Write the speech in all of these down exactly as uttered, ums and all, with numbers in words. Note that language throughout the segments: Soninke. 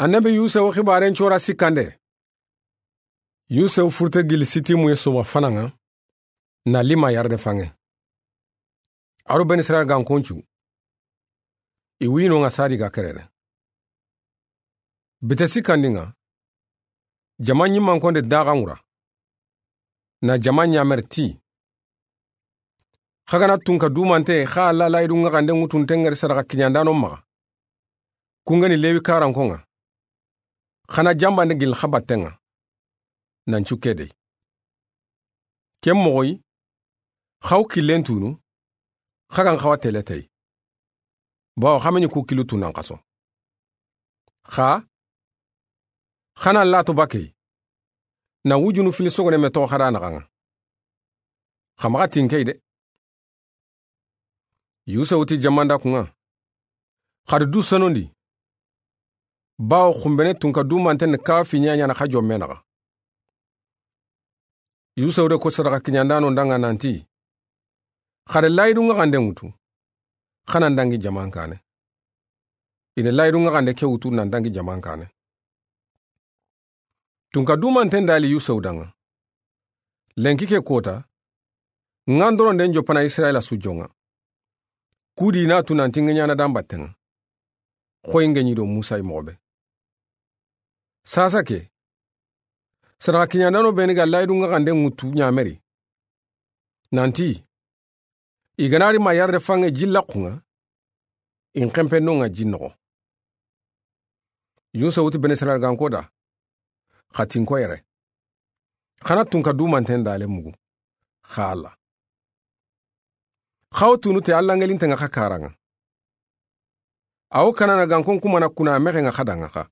Annabi Yusufu xibaaren cora sikkande. Yusufu furte gili Sitimu ye soma fanaŋa, na lima yarde faŋe. A do Beni Israyila gankoncu, i winoŋa sadi ga kerene. Bite sikkandi ŋa, jama ɲimmankonde daxanŋura, na jama ɲameri ti, xa ga na tunka dumante xa Alla layidu ŋaxande ŋutunte ŋeri sadaxa kiɲandano maxa, kungeni Lewi karanko ŋa, xa na jambande gili xa batte ŋa, nan cu ke dey. Ken moxoyi, xa wo killen tunu, xa gan xawa teletey. Bawo xa me ɲi ku killu tunan xaso. Xa, xa na lato bakey, na wujunu fili sogone me toxo xa da naxaŋa. Xa maxa tinkey de. Yusufu ti jamanda kuŋa, xa da du sonondi, bawo xumbene tunka dumanten ni kawa fi ɲaɲana xa jomme naxa. Yusufu de ko sadaxa kiɲandano danŋa nanti, xa da layidu ŋaxande ŋutu, xa nan dangi jaman kane. I da layidu ŋaxande ke wutu nan dangi jaman kane. Tunka dumanten dali Yusufu danŋa. Lenki ke kota, ŋandoronden joppana Israyila su joŋa. Kudi na tu nanti ŋa ɲana dan batteŋa. Xoyi ŋa ɲi do Musa i moxo be. Sasa ke, sadaxa kiɲandano beni ga layidu ŋaxande ŋutu ɲameri, nanti, i ga na ri ma yarde faŋe ji laxuŋa, i n xenpe noŋa ji noxo. Yusufu ti Beni Israyila ganko da, xa tinko yere. Xa na tunka dumanten dale mugu, xa Alla. Xa wo tunu te Alla ŋelinten ŋa xa karaŋa. A wo Kanana gankon kumana kuna mexen ŋa xa danŋa xa.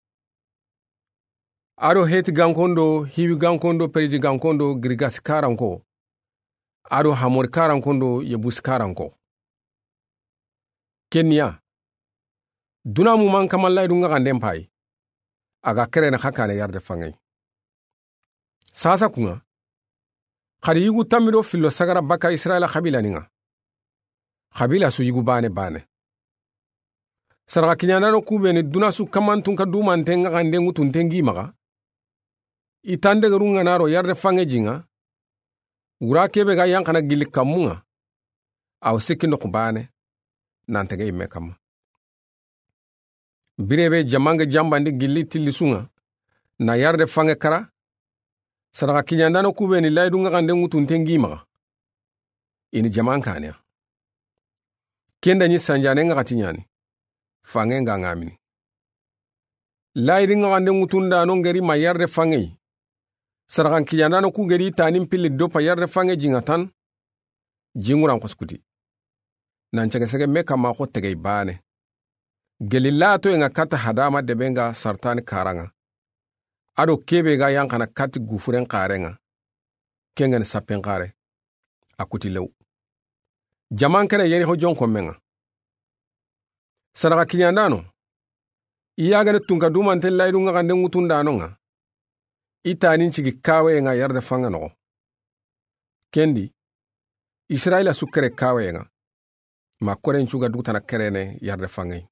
A do Heti gankon do, Hiwi gankon do, Periji gankon do, Girigasi karanko. A do Hamori karanko do, Yebusi karanko. Keniya, duna muman kama layidu ŋaxanden payi. A ga kerene xa kane yarde faŋey. Sasa kuŋa, xa da yigu tammi do fillo sagara baka Israyila xabilani ŋa. Xabila su yigu bane bane. Sadaxa kiɲandano ku beni duna su kaman tunka dumanten ŋaxande ŋutunten gi maxa. I tandegeru ŋa na ro yarde faŋe ji ŋa. Wura kebe ga yanxana gili kammu ŋa. A wo sikki noxu bane, nan tege i me kamma. Bire be jamanŋe jambandi gili tilli su ŋa, na yarde faŋe kara, sadaxa kiɲandano ku beni layidu ŋaxande ŋutunten gi maxa. I ni jaman kaneya. Ken da ɲi sanjane ŋaxati ɲani, faŋe ŋa ŋa mini. Layidi ŋaxande ŋutundano ŋeri ma yarde faŋeyi. Sadaxan kiɲandano ku gedi tanin pilli doppa yarde faŋe jiŋa tan. Jiŋuran xosukuti. Nan cege sege me kamma xo tegey bane. Geli latoye ŋa katta hadama debe ŋa sartani karaŋa. Ado kebe ga yanxana katti gufuren xareŋa. Kengani sappen xare. A kuti lew. Jaman kene yeri xo jonko meŋa. Sadaxa kiɲandano. I yagene tunka dumante layidu ŋaxande ŋutundano ŋa. I tanin cigi kaweye ŋa yarde faŋe noxo. Kendi. Israyila su kere kaweye ŋa. Ma koren cuga dugutana kerene yarde faŋeyi.